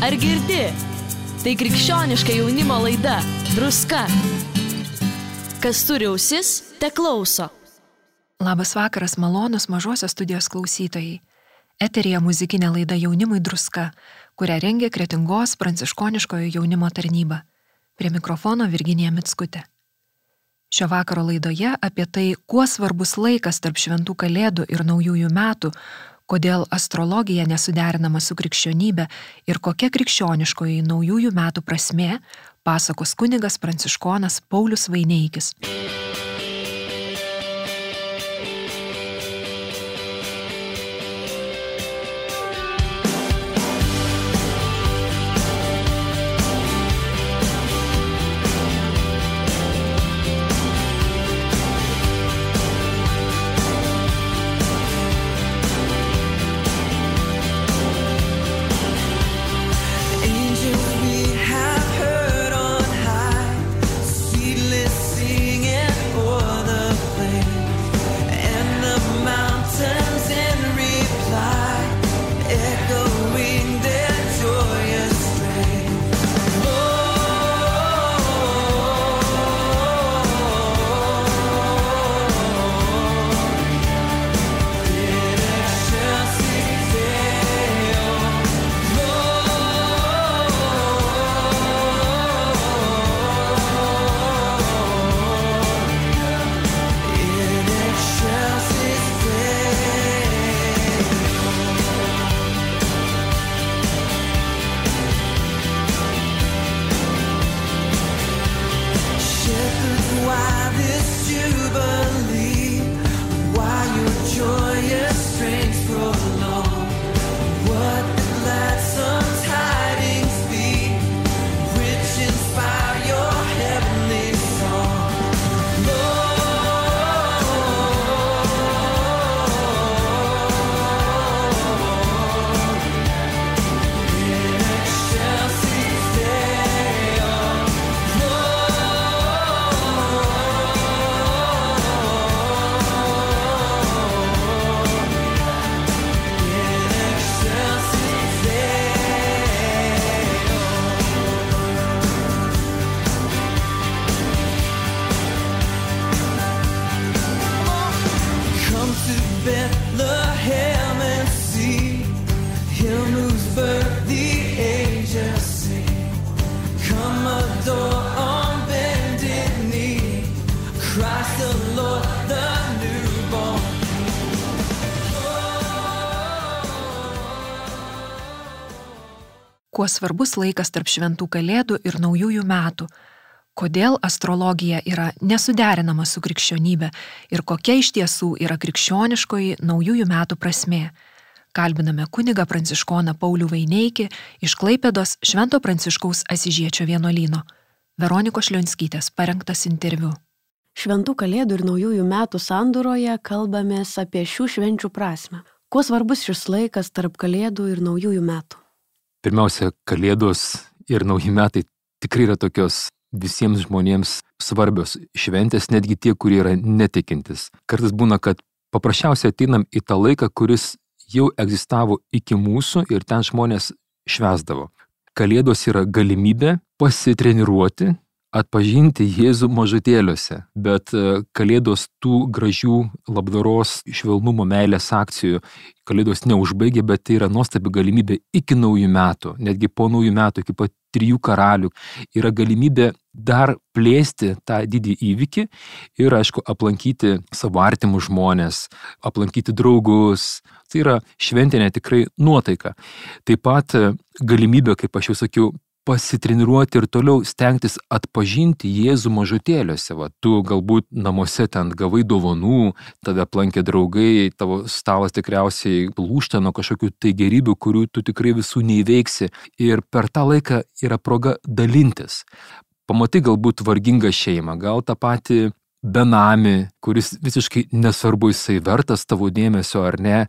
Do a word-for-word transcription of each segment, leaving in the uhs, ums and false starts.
Ar girdi? Tai krikščioniška jaunimo laida Druska. Kas turi ausis, te klauso. Labas vakaras, malonus Mažosios studijos klausytojai. Eteryje muzikinė laida Jaunimui Druska, kurią rengia Kretingos pranciškoniškojo jaunimo tarnyba. Prie mikrofono Virginija Mickutė. Šio vakaro laidoje apie tai, kuo svarbus laikas tarp šventų kalėdų ir naujųjų metų, kodėl astrologija nesuderinama su krikščionybė ir kokia krikščioniškoji naujųjų metų prasmė, pasakos kunigas pranciškonas Paulius Vaineikis. Kuo svarbus laikas tarp šventų kalėdų ir naujųjų metų, kodėl astrologija yra nesuderinama su krikščionybė ir kokia iš tiesų yra krikščioniškoji naujųjų metų prasmė. Kalbiname kunigą pranciškoną Paulių Vaineikį iš Klaipėdos Švento Pranciškaus Asyžiečio vienuolyno. Veronikos Šlionskytės parengtas interviu. Šventų kalėdų ir naujųjų metų sandūroje kalbamės apie šių švenčių prasmę. Kuo svarbus šis laikas tarp kalėdų ir naujųjų metų? Pirmiausia, kalėdos ir nauji metai tikrai yra tokios visiems žmonėms svarbios šventės, netgi tie, kurie yra netikintis. Kartais būna, kad paprasčiausiai ateinam į tą laiką, kuris jau egzistavo iki mūsų ir ten žmonės švęsdavo. Kalėdos yra galimybė pasitreniruoti, atpažinti Jėzų mažutėliuose, bet kalėdos tų gražių labdaros, švelnumo, meilės akcijų, kalėdos neužbaigia, bet tai yra nuostabi galimybė iki naujų metų, netgi po naujų metų, iki pat trijų karalių, yra galimybė dar plėsti tą didį įvykį ir, aišku, aplankyti savo artimus žmonės, aplankyti draugus. Tai yra šventinė tikrai nuotaika. Taip pat galimybė, kaip aš jau sakiau, pasitreniruoti ir toliau stengtis atpažinti Jėzų mažutėliuose. Va, tu galbūt namuose ten gavai dovanų, tave aplankė draugai, tavo stalas tikriausiai lūžta nuo kažkokių tai gerybių, kurių tu tikrai visų neįveiksi. Ir per tą laiką yra proga dalintis. Pamatai galbūt vargingą šeimą, gal tą patį benamį, kuris visiškai nesvarbu jisai vertas tavo dėmesio ar ne.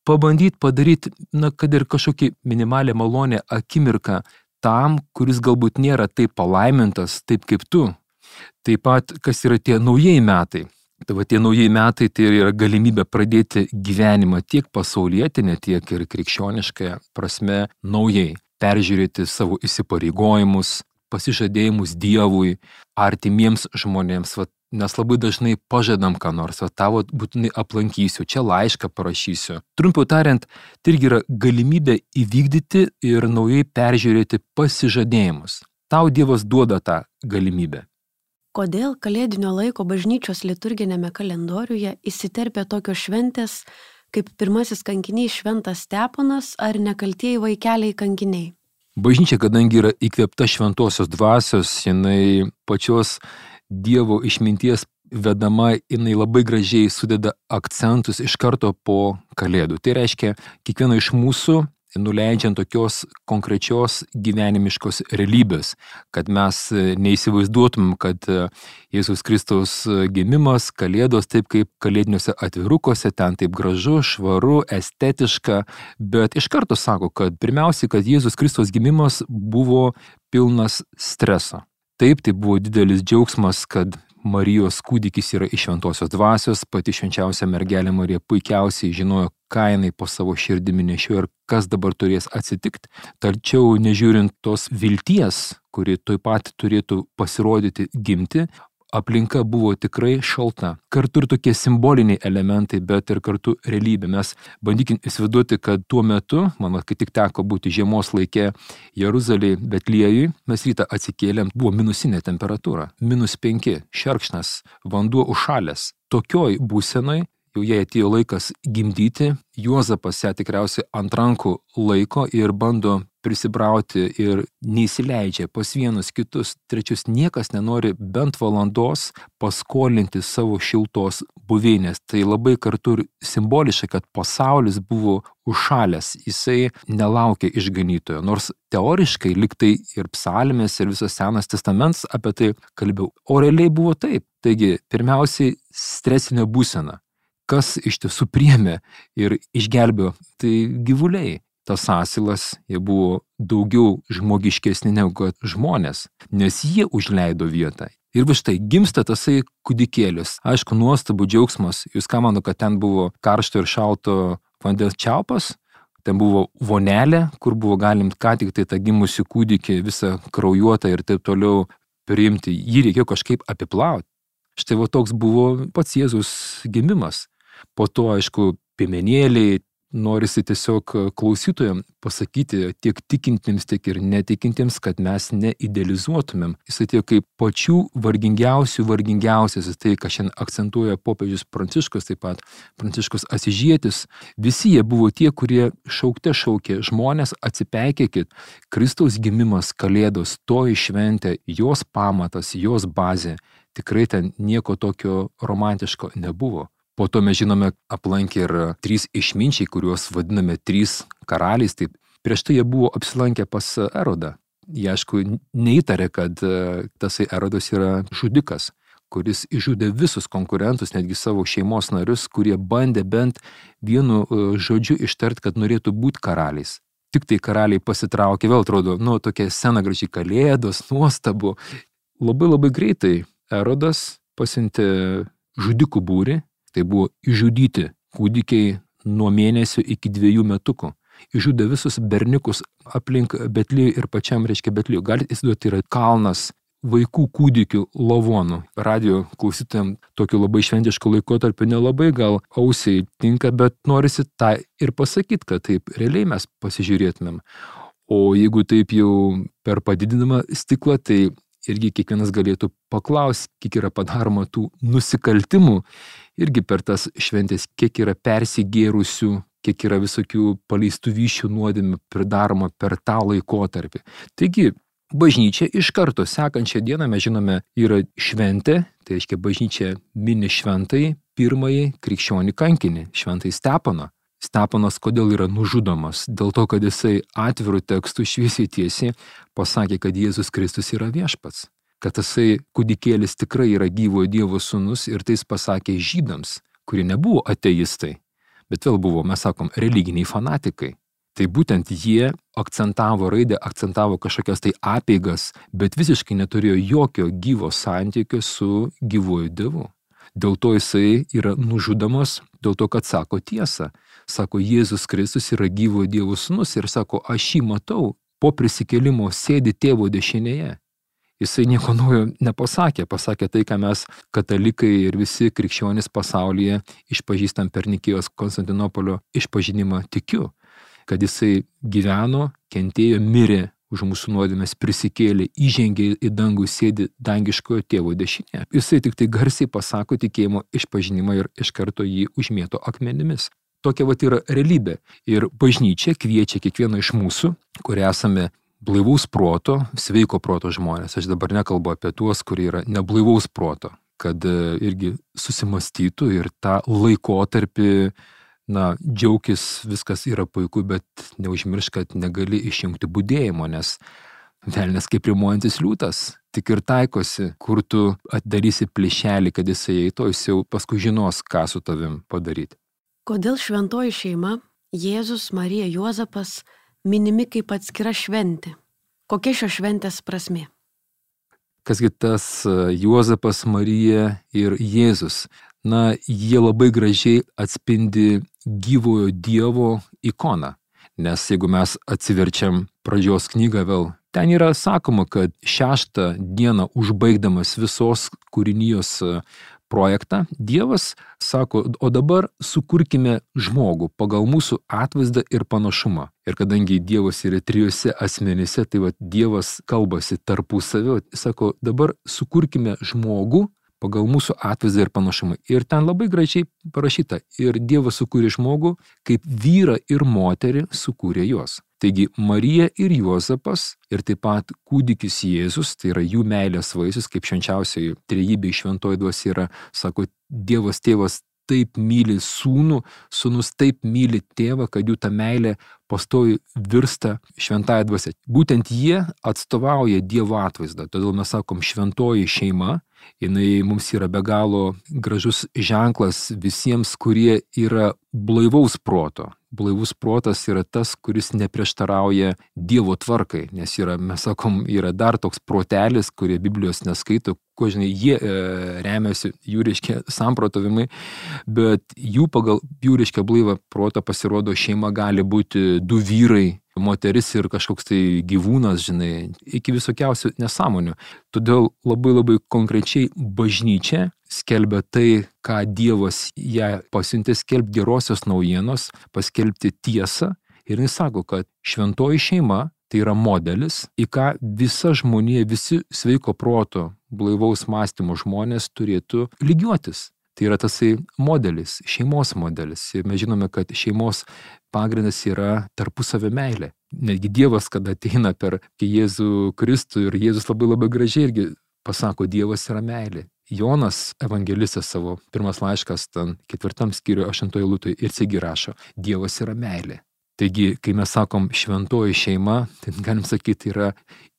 Pabandyti padaryti, na, kad ir kažkokį minimalę malonę akimirką tam, kuris galbūt nėra taip palaimintas, taip kaip tu. Taip pat, kas yra tie naujieji metai. Tai va tie naujieji metai tai yra galimybė pradėti gyvenimą tiek pasaulietinę, tiek ir krikščioniškąją prasme naujai. peržiūrėti savo įsipareigojimus, pasižadėjimus Dievui, artimiems žmonėms. Va, nes labai dažnai pažadam ką nors, va, tavo būtinai aplankysiu, čia laišką parašysiu. Trumpiau tariant, tai irgi yra galimybė įvykdyti ir naujai peržiūrėti pasižadėjimus. Tau Dievas duoda tą galimybę. Kodėl kalėdinio laiko bažnyčios liturginėme kalendoriuje įsiterpia tokios šventės, kaip pirmasis kankinys Šventas Steponas ar nekaltieji vaikeliai kankiniai? Bažnyčia, kadangi yra įkvėpta šventosios dvasios, jinai pačios Dievo išminties vedama, jinai labai gražiai sudeda akcentus iš karto po Kalėdų. Tai reiškia, kiekvieno iš mūsų nuleidžiant tokios konkrečios gyvenimiškos realybės, kad mes neįsivaizduotumėm, kad Jėzaus Kristaus gimimas, Kalėdos, taip kaip kalėdiniuose atvirukose, ten taip gražu, švaru, estetiška, bet iš karto sako, kad pirmiausiai, kad Jėzaus Kristaus gimimas buvo pilnas streso. Taip, tai buvo didelis džiaugsmas, kad Marijos kūdikis yra iš šventosios dvasios, pati švenčiausia mergelė Marija puikiausiai žinojo, ką jinai po savo širdimi nešiojo ir kas dabar turės atsitikti. Tačiau nežiūrint tos vilties, kuri tuoj pat turėtų pasirodyti gimti, aplinka buvo tikrai šalta. Kartu ir tokie simboliniai elementai, bet ir kartu realybė. Mes bandykim įsivaizduoti, kad tuo metu, man kai tik teko būti žiemos laike Jeruzalėje, Betliejuj, mes rytą atsikėlėm, buvo minusinė temperatūra, minus penki, šerkšnas, vanduo užšalęs. Tokioj būsenai, jau jai atėjo laikas gimdyti, Juozapas ją tikriausiai ant rankų laiko ir bando prisibrauti ir neįsileidžia pas vienus kitus, trečius, niekas nenori bent valandos paskolinti savo šiltos buveinės. Tai labai kartu ir simboliškai, kad pasaulis buvo užšalęs, jisai nelaukė išganytojo, nors teoriškai liktai ir psalmės ir visas Senas testamentas apie tai kalbėjo, o realiai buvo taip. Taigi, pirmiausiai stresinė būsena. Kas iš tiesų priėmė ir išgelbėjo, tai gyvuliai. Tas asilas, jie buvo daugiau žmogiškesni negu kad žmonės, nes jie užleido vietą. Ir va štai gimsta tasai kūdikėlis. Aišku, nuostabų džiaugsmas. Jūs ką mano, kad ten buvo karšto ir šalto vandens čiaupas, ten buvo vonelė, kur buvo galim ką tik tai tą gimusi kūdikį visą kraujuotą ir taip toliau priimti. Jį reikėjo kažkaip apiplauti. Štai va toks buvo pats Jėzus gimimas. Po to, aišku, piemenėliai, norisi tiesiog klausytojams pasakyti tiek tikintiems, tiek ir netikintiems, kad mes neidealizuotumėm. Jis atėjo kaip pačių vargingiausių vargingiausias, tai, ką šiandien akcentuoja popiežius Pranciškus, taip pat Pranciškus Asižietis. Visi jie buvo tie, kurie šaukte šaukė, žmonės atsipeikėkit, Kristaus gimimas, Kalėdos, toji šventė, jos pamatas, jos bazė. Tikrai ten nieko tokio romantiško nebuvo. Po to mes žinome, aplankė ir trys išminčiai, kuriuos vadiname trys karaliais. Taip, prieš tai jie buvo apsilankę pas Erodą. Jie, aišku, neįtarė, kad tasai Erodas yra žudikas, kuris išžudė visus konkurentus, netgi savo šeimos narius, kurie bandė bent vienu žodžiu ištart, kad norėtų būti karaliais. Tik tai karaliai pasitraukė, vėl atrodo, nu, tokia scena gražiai, Kalėdos, nuostabu. Labai labai greitai Erodas pasiuntė žudikų būrį. Tai buvo išžudyti kūdikiai nuo mėnesio iki dviejų metukų. Išžudė visus berniukus aplink Betliejų ir pačiam, reiškia, Betliejų. Galite įsivaizduoti, tai yra kalnas vaikų kūdikių lavonų. Radio klausytojams tokiu labai šventišku laikotarpiu nelabai gal ausiai tinka, bet norisi tą ir pasakyti, kad taip realiai mes pasižiūrėtumėm. O jeigu taip jau per padidinamą stiklą, tai irgi kiekvienas galėtų paklausti, kiek yra padaroma tų nusikaltimų, irgi per tas šventės, kiek yra persigėrusių, kiek yra visokių paleistų vyšių nuodėmių pridaroma per tą laikotarpį. Taigi, bažnyčia iš karto sekančią dieną, mes žinome, yra šventė, tai reiškia bažnyčia mini šventai pirmąjį krikščionį kankinį, šventai Steponą. Steponas kodėl yra nužudomas? Dėl to, kad jisai atvirų tekstų šviesiai tiesiai pasakė, kad Jėzus Kristus yra viešpats. Kad tasai kūdikėlis tikrai yra gyvojo Dievo sūnus ir tai jis pasakė žydams, kurie nebuvo ateistai, bet vėl buvo, mes sakom, religiniai fanatikai. Tai būtent jie akcentavo raidę, akcentavo kažkokias tai apeigas, bet visiškai neturėjo jokio gyvo santykio su gyvuoju Dievu. Dėl to jisai yra nužudomas, dėl to, kad sako tiesą. Sako, Jėzus Kristus yra gyvojo Dievo sūnus ir sako, aš jį matau, po prisikėlimo sėdi tėvo dešinėje. Jisai nieko naujo nepasakė, pasakė tai, ką mes katalikai ir visi krikščionys pasaulyje išpažįstam per Nikėjos Konstantinopolio išpažinimą tikiu, kad jisai gyveno, kentėjo, mirė už mūsų nuodėmes, prisikėlė, įžengė į dangų, sėdi dangiškojo tėvo dešinėje. Jisai tik tai garsiai pasako tikėjimo išpažinimą ir iš karto jį užmėto akmenimis. Tokia vat yra realybė. Ir bažnyčia kviečia kiekvieną iš mūsų, kurie esame blaivaus proto, sveiko proto žmonės. Aš dabar nekalbu apie tuos, kurie yra neblaivaus proto, kad irgi susimastytų ir tą laikotarpį, na, džiaukis, viskas yra puiku, bet neužmiršk, kad negali išjungti budėjimo, nes velnias kaip rimuojantis liūtas, tik ir taikosi, kur tu atdarysi plyšelį, kad jisai eitų, jis jau paskui žinos, ką su tavim padaryti. Kodėl šventoji šeima, Jėzus, Marija, Juozapas minimi kaip atskira šventė? Kokia šios šventės prasmė? Kasgi tas Juozapas, Marija ir Jėzus? Na, jie labai gražiai atspindi gyvojo Dievo ikoną. Nes jeigu mes atsiverčiam pradžios knygą vėl, ten yra sakoma, kad šeštą dieną užbaigdamas visos kūrinijos projektą, Dievas sako, o dabar sukurkime žmogų pagal mūsų atvaizdą ir panašumą. Ir kadangi Dievas yra trijose asmenyse, tai va, Dievas kalbasi tarpusavio, sako, dabar sukurkime žmogų pagal mūsų atvaizdą ir panašumą. Ir ten labai gražiai parašyta, ir Dievas sukūrė žmogų, kaip vyrą ir moterį sukūrė juos. Taigi Marija ir Juozapas ir taip pat kūdikis Jėzus, tai yra jų meilės vaisius, kaip švenčiausioji trejybė šventoji dvasia yra, sako, Dievas tėvas taip myli sūnų, sūnus taip myli tėvą, kad jų ta meilė pastoviai virsta šventąja dvasia. Būtent jie atstovauja Dievo atvaizdą, todėl mes sakom šventoji šeima, jinai mums yra be galo gražus ženklas visiems, kurie yra blaivaus proto. Blaivus protas yra tas, kuris neprieštarauja Dievo tvarkai, nes yra, mes sakom, yra dar toks protelis, kurie Biblijos neskaito, ko žinai, jie e, remiasi jų reiškia samprotavimai, bet jų pagal jų reiškia blaivą protą pasirodo šeima gali būti du vyrai, moteris ir kažkoks tai gyvūnas, žinai, iki visokiausių nesąmonių. Todėl labai labai konkrečiai bažnyčia skelbia tai, ką Dievas ją pasiuntė skelbti gerosios naujienos, paskelbti tiesą. Ir jis sako, kad šventoji šeima tai yra modelis, į ką visa žmonija, visi sveiko proto, blaivaus mąstymo žmonės turėtų lygiuotis. Tai yra tasai modelis, šeimos modelis. Ir mes žinome, kad šeimos pagrindas yra tarpusavio meilė. Netgi Dievas, kada ateina per Jėzų Kristų ir Jėzus labai labai gražiai irgi pasako, Dievas yra meilė. Jonas evangelistas savo pirmas laiškas, ten ketvirtam skyriuje aštuntoje eilutėje ir irgi rašo, Dievas yra meilė. Taigi, kai mes sakom šventoji šeima, tai galim sakyti, yra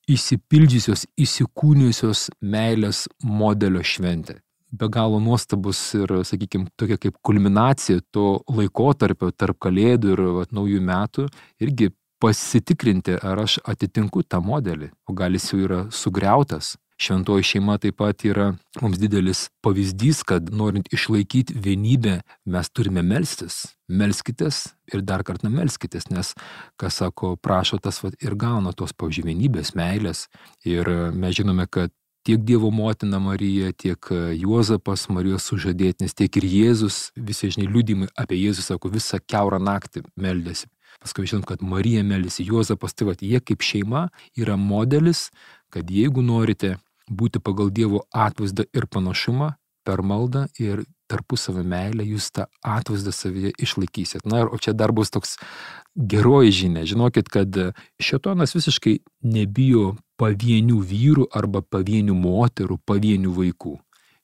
įsipildžiusios, įsikūnijusios meilės modelio šventė. Be galo nuostabus ir, sakykime, tokia kaip kulminacija to laikotarpio tarp kalėdų ir vat, naujų metų, irgi pasitikrinti, ar aš atitinku tą modelį, o gal jis jau yra sugriautas. Šventoji šeima taip pat yra mums didelis pavyzdys, kad norint išlaikyti vienybę, mes turime melstis. Melskitės ir dar kartą melskitės, nes, kas sako, prašo tas vat, ir gauna tos pavyzdžiui vienybės, meilės. Ir mes žinome, kad tiek Dievo motina Marija, tiek Juozapas, Marijos sužadėtinis, tiek ir Jėzus, visi, žinai, liudymai apie Jėzus, sako, visą kiaurą naktį meldėsi. Paskui žinom, kad Marija meldėsi, Juozapas, tai va, jie kaip šeima yra modelis, kad jeigu norite būti pagal Dievo atvaizdą ir panašumą, per maldą ir tarpusavio meilę, jūs tą atvaizdą savyje išlaikysit. Na, o čia dar bus toks geroji žinia. Žinokit, kad šėtonas visiškai nebijo pavienių vyrų arba pavienių moterų, pavienių vaikų.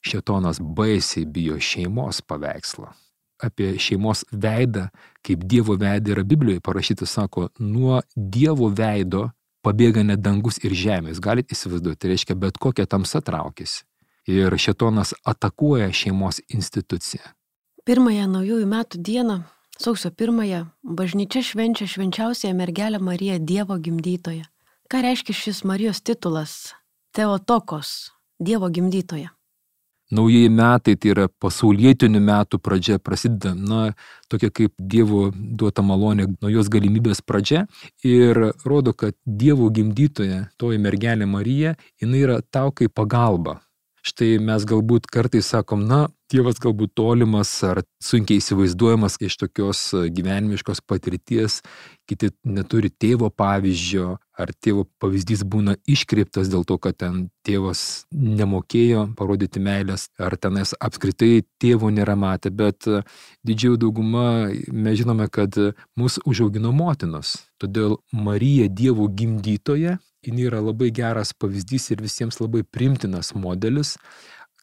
Šėtonas baisiai bijo šeimos paveikslą. Apie šeimos veidą, kaip Dievo veidą yra Biblijoje parašyta, sako, nuo Dievo veido pabėga net dangus ir žemės. Galit įsivaizduoti, tai reiškia, bet kokia tamsa traukiasi. Ir šėtonas atakuoja šeimos instituciją. Pirmąją naujųjų metų dieną, sausio pirmąją, bažnyčia švenčia švenčiausiąją mergelę Mariją Dievo gimdytoją. Ką reiškia šis Marijos titulas? Theotokos, Dievo gimdytoja. Naujieji metai tai yra pasaulietinių metų pradžia, prasideda, na, tokia kaip Dievo duota malonė, naujos galimybės pradžia ir rodo, kad Dievo gimdytoja, toji mergelė Marija, jinai yra tau kaip pagalba. Štai mes galbūt kartais sakom, na, Dievas galbūt tolimas ar sunkiai įsivaizduojamas iš tokios gyvenimiškos patirties, kiti neturi tėvo pavyzdžio, ar tėvo pavyzdys būna iškreiptas dėl to, kad ten tėvas nemokėjo parodyti meilės, ar tenais apskritai tėvo nėra matę, bet didžioji dauguma mes žinome, kad mus užaugino motinos. Todėl Marija Dievo gimdytoja, jinai yra labai geras pavyzdys ir visiems labai primtinas modelis,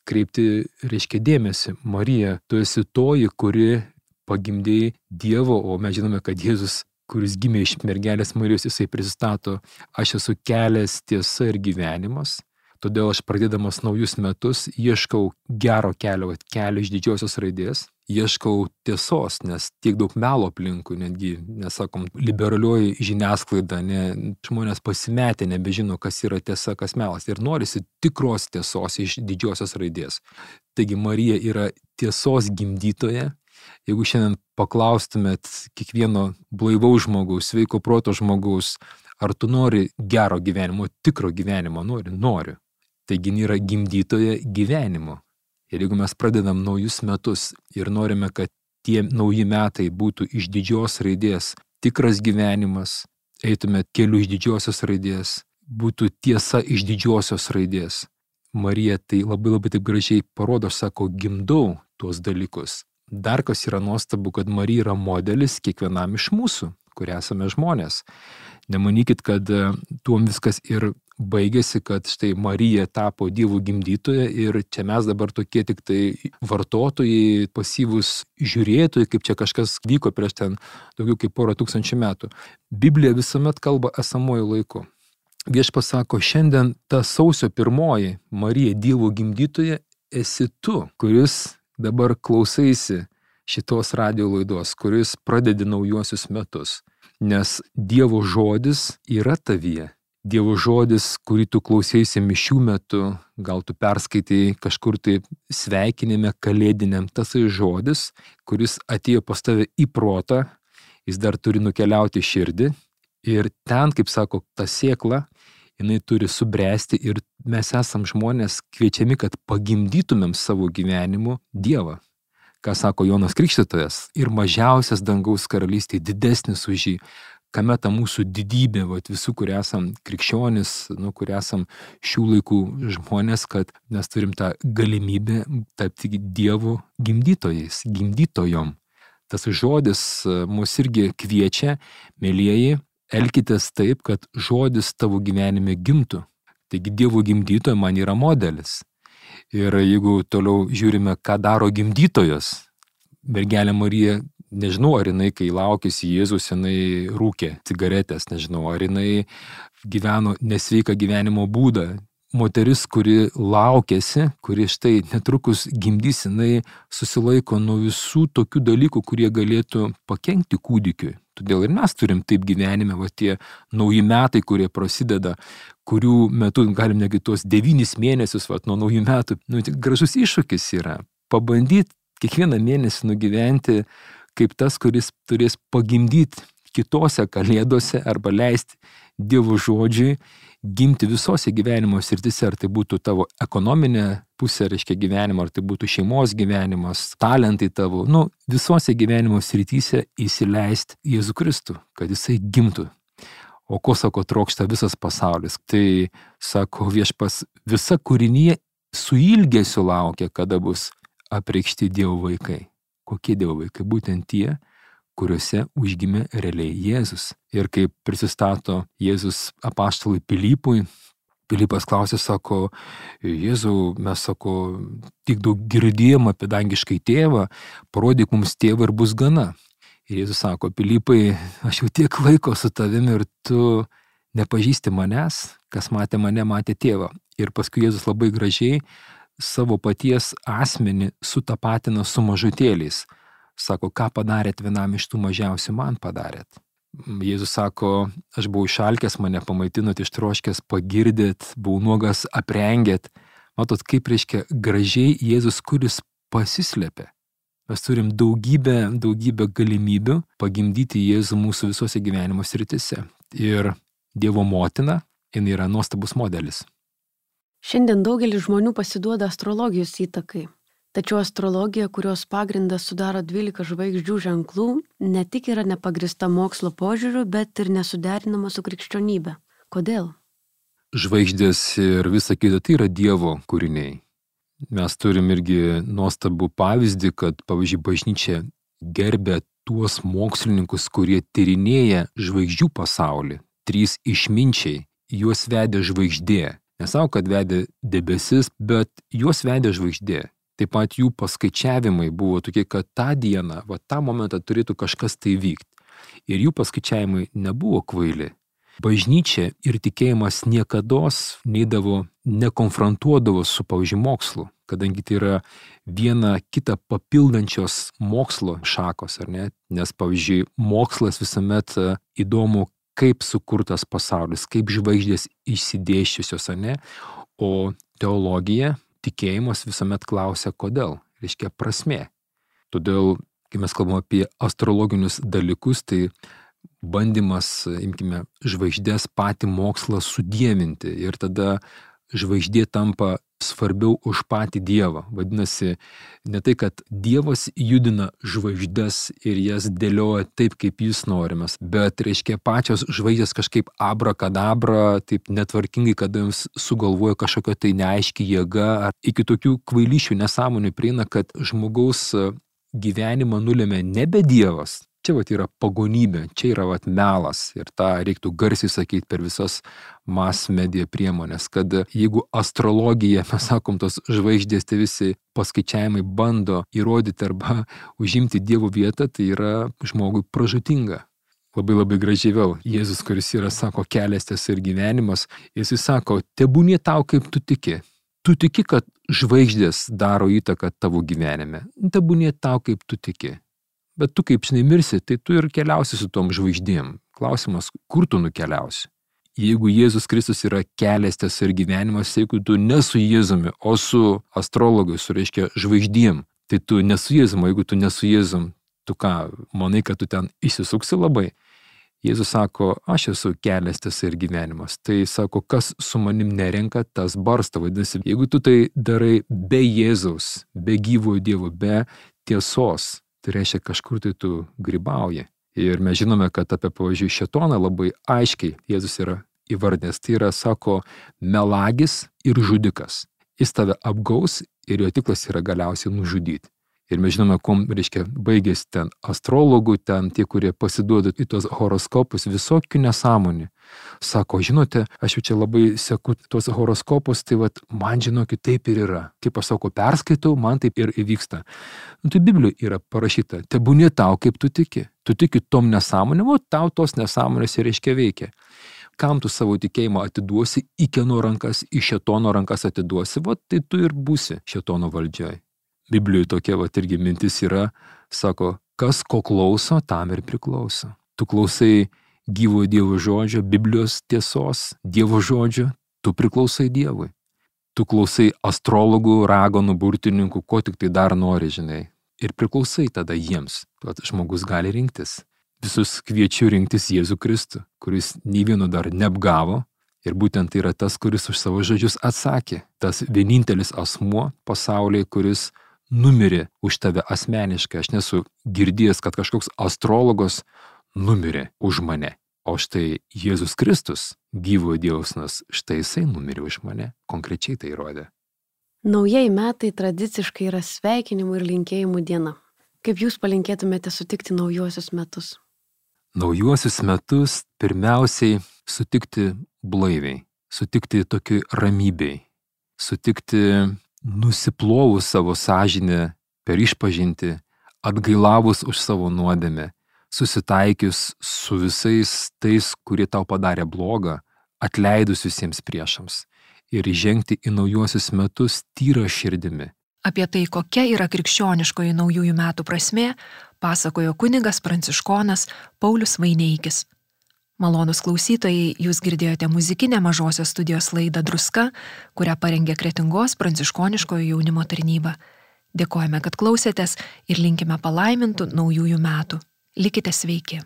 kreipti, reiškia, dėmesį. Marija, tu esi toji, kuri pagimdė Dievo, o mes žinome, kad Jėzus, kuris gimė iš mergelės Marijos, jisai prisistato, aš esu kelias, tiesa ir gyvenimas. Todėl aš pradėdamas naujus metus ieškau gero kelio, kelio iš didžiosios raidės, ieškau tiesos, nes tiek daug melo aplinkui, netgi, nesakom, liberalioji žiniasklaida, ne, žmonės pasimetė, nebežino, kas yra tiesa, kas melas, ir norisi tikros tiesos iš didžiosios raidės. Taigi Marija yra tiesos gimdytoja. Jeigu šiandien paklaustumėt kiekvieno blaivaus žmogaus, sveiko proto žmogaus, ar tu nori gero gyvenimo, tikro gyvenimo, nori, nori. Taigi yra gimdytoja gyvenimo. Ir jeigu mes pradedam naujus metus ir norime, kad tie nauji metai būtų iš didžios raidės, tikras gyvenimas, eitume keliu iš didžiosios raidės, būtų tiesa iš didžiosios raidės. Marija tai labai labai taip gražiai parodo, sako, gimdau tuos dalykus. Dar kas yra nuostabu, kad Marija yra modelis kiekvienam iš mūsų, kurie esame žmonės. Nemanykit, kad tuom viskas ir baigėsi, kad štai Marija tapo Dievo gimdytoja ir čia mes dabar tokie tik tai vartotojai, pasyvūs žiūrėtojai, kaip čia kažkas vyko prieš ten daugiau kaip porą tūkstančių metų. Biblija visuomet kalba esamuoju laiku. Viešpats sako, šiandien ta sausio pirmoji Marija Dievo gimdytoja esi tu, kuris dabar klausaisi šitos radijo laidos, kuris pradedi naujuosius metus. Nes Dievo žodis yra tavyje. Dievo žodis, kurį tu klausėsi mišių metu, gal tu perskaitai kažkur tai sveikinime kalėdiniam, tasai žodis, kuris atėjo pas tave į protą, jis dar turi nukeliauti širdį ir ten, kaip sako, ta sėkla, jinai turi subręsti ir mes esam žmonės kviečiami, kad pagimdytumėm savo gyvenimu Dievą. Ką sako Jonas Krikštytojas, ir mažiausias dangaus karalystė didesnis už jį. Kame ta mūsų didybė, vat, visų, kurie esam krikščionis, nu, kurie esam šių laikų žmonės, kad mes turim tą galimybę tapti Dievo gimdytojais, gimdytojom. Tas žodis mus irgi kviečia, mielieji, elkitės taip, kad žodis tavo gyvenime gimtų. Taigi Dievo gimdytoja man yra modelis. Ir jeigu toliau žiūrime, ką daro gimdytojos, mergelė Marija, nežinau, ar jinai, kai laukėsi Jėzus, jinai rūkė cigaretės, nežinau, ar jinai gyveno nesveiką gyvenimo būdą. Moteris, kuri laukėsi, kuri štai netrukus gimdys, jinai susilaiko nuo visų tokių dalykų, kurie galėtų pakenkti kūdikiui. Todėl ir mes turim taip gyvenime, va tie nauji metai, kurie prasideda, kurių metu galim negi tuos devynis mėnesius, va nuo naujų metų, nu, gražus iššūkis yra. Pabandyti kiekvieną mėnesį nugyventi kaip tas, kuris turės pagimdyti kitose kalėdose arba leisti Dievo žodžiui gimti visose gyvenimo srityse, ar tai būtų tavo ekonominė pusė, reiškia gyvenimo, ar tai būtų šeimos gyvenimas, talentai tavo, nu, visose gyvenimo srityse įsileisti Jėzų Kristų, kad jisai gimtų. O ko, sako, trokšta visas pasaulis? Tai, sako Viešpas, visa kūrinija su ilgesiu laukia, kada bus apreikšti Dievo vaikai. Kokie Dievo vaikai? Būtent tie, kuriuose užgimė realiai Jėzus. Ir kai prisistato Jėzus apaštalui Pilypui, Pilypas klausė, sako, Jėzau, mes, sako, tik daug girdėjom apie dangiškai tėvą, parodyk mums tėvą ir bus gana. Ir Jėzus sako, Pilypai, aš jau tiek laiko su tavimi ir tu nepažįsti manęs, kas matė mane, matė tėvą. Ir paskui Jėzus labai gražiai savo paties asmenį sutapatina su mažutėliais. Sako, ką padarėt vienam iš tų mažiausių, man padarėt. Jėzus sako, aš buvau išalkęs, mane pamaitinot, ištroškęs, pagirdėt, buvau nuogas, aprengėt, Matot, kaip reiškia gražiai Jėzus, kuris pasislėpė. Mes turim daugybę, daugybę galimybių pagimdyti Jėzų mūsų visose gyvenimo sritise. Ir Dievo motina, jinai yra nuostabus modelis. Šiandien daugelis žmonių pasiduoda astrologijos įtakai. Tačiau astrologija, kurios pagrindas sudaro dvylika žvaigždžių ženklų, ne tik yra nepagrįsta mokslo požiūriu, bet ir nesuderinama su krikščionybė. Kodėl? Žvaigždės ir visa kita tai yra Dievo kūriniai. Mes turim irgi nuostabų pavyzdį, kad, pavyzdžiui, bažnyčia gerbė tuos mokslininkus, kurie tyrinėja žvaigždžių pasaulį. Trys išminčiai, juos vedė žvaigždė. Nesau, kad vedė debesis, bet juos vedė žvaigždė. Taip pat jų paskaičiavimai buvo tokie, kad tą dieną, va tą momentą turėtų kažkas tai vykti. Ir jų paskaičiavimai nebuvo kvaili. Bažnyčia ir tikėjimas niekados neidavo, nekonfrontuodavo su, pavyzdžiui, mokslu, kadangi tai yra viena kitą papildančios mokslo šakos, ar ne? Nes, pavyzdžiui, mokslas visuomet įdomu, kaip sukurtas pasaulis, kaip žvaigždės išsidėsčiusios, ar ne? O teologija, tikėjimas visuomet klausia, kodėl, reiškia prasmė. Todėl, kai mes kalbame apie astrologinius dalykus, tai bandymas, imkime, žvaigždės patį mokslą sudievinti ir tada žvaigždė tampa svarbiau už patį Dievą. Vadinasi, ne tai, kad Dievas judina žvaigždės ir jas dėlioja taip, kaip jis norimas, bet, reiškia, pačios žvaigždės kažkaip abrakadabra, taip netvarkingai, kada jums sugalvoja kažkokia tai neaiški jėga, ar iki tokių kvailyšių nesąmonių prieina, kad žmogaus gyvenimą nulėmė nebe Dievas. Čia vat yra pagonybė, čia yra vat melas ir tą reiktų garsiai sakyti per visas mass media priemonės, kad jeigu astrologija, mes sakom, tos žvaigždės, tai visi paskaičiavimai bando įrodyti arba užimti Dievo vietą, tai yra žmogui pražūtinga. Labai labai gražiai vėl. Jėzus, kuris yra, sako, kelias, tiesa ir gyvenimas, jis sako, tebūnie tau, kaip tu tiki. Tu tiki, kad žvaigždės daro įtaką tavo gyvenime. Tebūnie tau, kaip tu tiki. Bet tu, kaip žinai, mirsi, tai tu ir keliausi su tom žvaigždėm. Klausimas, kur tu nukeliausi? Jeigu Jėzus Kristus yra kelias, tiesa ir gyvenimas, jeigu tu ne su Jėzumi, o su astrologai, su, reiškia, žvaigždėm, tai tu ne su Jėzum, jeigu tu ne su Jėzum, tu ką, manai, kad tu ten išsisuksi labai? Jėzus sako, aš esu kelias, tiesa ir gyvenimas. Tai sako, kas su manim nerenka, tas barsta. Vadinasi, jeigu tu tai darai be Jėzaus, be gyvojo Dievo, be tiesos, tai reiškia, kažkur tai tu grybauji. Ir mes žinome, kad apie, pavyzdžiui, šėtoną labai aiškiai Jėzus yra įvardinęs. Tai yra, sako, melagis ir žudikas. Jis tave apgaus ir jo tiklas yra galiausiai nužudyti. Ir mes žinome, kuom, reiškia, baigėsi ten astrologų, ten tie, kurie pasiduoda į tos horoskopus, visokių nesąmonių. Sako, žinote, aš jau čia labai seku tos horoskopus, tai vat, man žinokit, taip ir yra. Kaip aš sako, perskaitau, man taip ir įvyksta. Nu, tai Biblijoje yra parašyta, tebūnie tau, kaip tu tiki. Tu tiki tom nesąmonėm, o tau tos nesąmonės ir reiškia veikia. Kam tu savo tikėjimą atiduosi, į kieno rankas, į šėtono rankas atiduosi, vat, tai tu ir būsi šėtono valdžioj. Biblijoje tokia vat irgi mintis yra, sako, kas ko klauso, tam ir priklauso. Tu klausai gyvojo Dievo žodžio, Biblijos tiesos, Dievo žodžio, tu priklausai Dievui. Tu klausai astrologų, ragonų, burtininkų, ko tik tai dar nori, žinai. Ir priklausai tada jiems. Tad žmogus gali rinktis. Visus kviečiu rinktis Jėzų Kristų, kuris nei vieno dar neapgavo. Ir būtent tai yra tas, kuris už savo žodžius atsakė. Tas vienintelis asmuo pasaulyje, kuris numirė už tave asmeniškai. Aš nesu girdėjęs, kad kažkoks astrologas numirė už mane. O štai Jėzus Kristus, gyvojo Dievo sūnus, štai jisai numirė už mane. Konkrečiai tai įrodė. Naujieji metai tradiciškai yra sveikinimų ir linkėjimų diena. Kaip jūs palinkėtumėte sutikti naujuosius metus? Naujuosius metus pirmiausiai sutikti blaiviai, sutikti tokiai ramybei, sutikti nusiplovus savo sąžinę per išpažintį, atgailavus už savo nuodėmę, susitaikius su visais tais, kurie tau padarė blogą, atleidus visiems priešams ir įžengti į naujuosius metus tyra širdimi. Apie tai, kokia yra krikščioniškoji naujųjų metų prasmė, pasakojo kunigas pranciškonas Paulius Vaineikis. Malonūs klausytojai, jūs girdėjote muzikinę mažosios studijos laidą Druska, kurią parengė Kretingos pranciškoniškojo jaunimo tarnyba. Dėkojame, kad klausėtės ir linkime palaimintų naujųjų metų. Likite sveiki.